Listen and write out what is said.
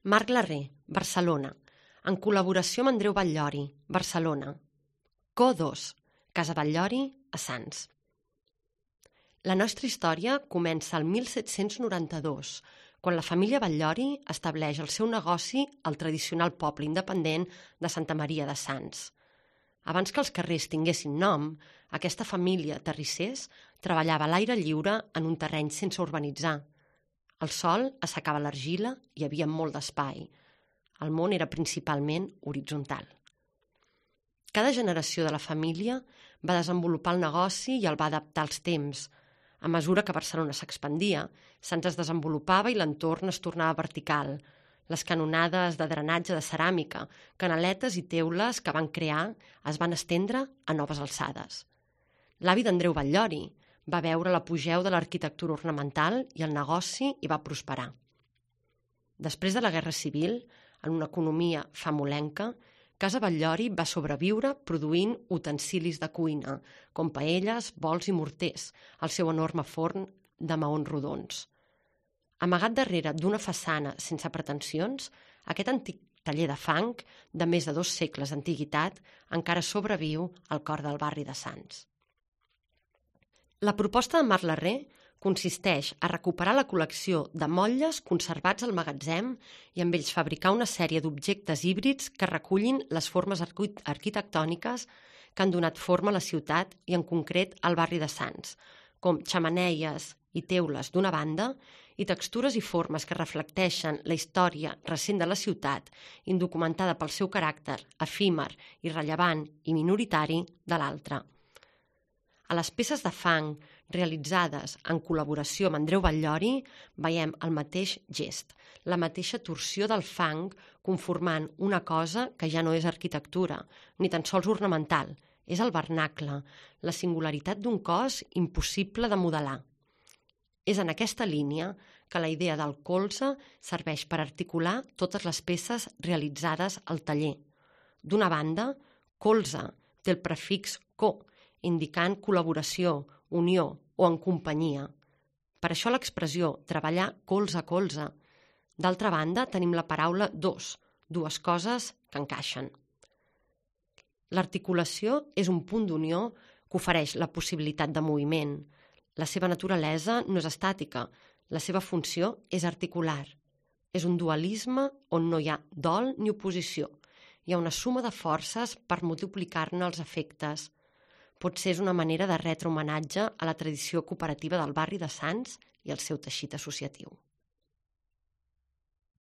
Marc Larrer, Barcelona, en col·laboració amb Andreu Batllori, Barcelona. Co2, Casa Batllori, a Sants. La nostra història comença el 1792, quan la família Batllori estableix el seu negoci al tradicional poble independent de Santa Maria de Sants. Abans que els carrers tinguessin nom, aquesta família terrissers treballava a l'aire lliure en un terreny sense urbanitzar. El sol assecava l'argila i hi havia molt d'espai. El món era principalment horitzontal. Cada generació de la família va desenvolupar el negoci i el va adaptar als temps. A mesura que Barcelona s'expandia, Sants es desenvolupava i l'entorn es tornava vertical. Les canonades de drenatge de ceràmica, canaletes i teules que van crear es van estendre a noves alçades. L'avi d'Andreu Batllori va veure l'apogeu de l'arquitectura ornamental i el negoci hi va prosperar. Després de la Guerra Civil, en una economia famolenca, Casa Batllori va sobreviure produint utensilis de cuina, com paelles, bols i morters, al seu enorme forn de maons rodons. Amagat darrere d'una façana sense pretensions, aquest antic taller de fang, de més de 2 segles d'antiguitat, encara sobreviu al cor del barri de Sants. La proposta de Marc Larrer consisteix a recuperar la col·lecció de motlles conservats al magatzem i amb ells fabricar una sèrie d'objectes híbrids que recullin les formes arquitectòniques que han donat forma a la ciutat i en concret al barri de Sants, com xemeneies i teules d'una banda i textures i formes que reflecteixen la història recent de la ciutat, indocumentada pel seu caràcter efímer, irrellevant i minoritari de l'altra. A les peces de fang realitzades en col·laboració amb Andreu Batllori veiem el mateix gest, la mateixa torsió del fang conformant una cosa que ja no és arquitectura, ni tan sols ornamental, és el vernacle, la singularitat d'un cos impossible de modelar. És en aquesta línia que la idea del colze serveix per articular totes les peces realitzades al taller. D'una banda, colze té el prefix co, indicant col·laboració, unió o en companyia. Per això l'expressió treballar colze a colze. D'altra banda, tenim la paraula dos, dues coses que encaixen. L'articulació és un punt d'unió que ofereix la possibilitat de moviment. La seva naturalesa no és estàtica, la seva funció és articular. És un dualisme on no hi ha dol ni oposició. Hi ha una suma de forces per multiplicar-ne els efectes. Potser és una manera de retre homenatge a la tradició cooperativa del barri de Sants i al seu teixit associatiu.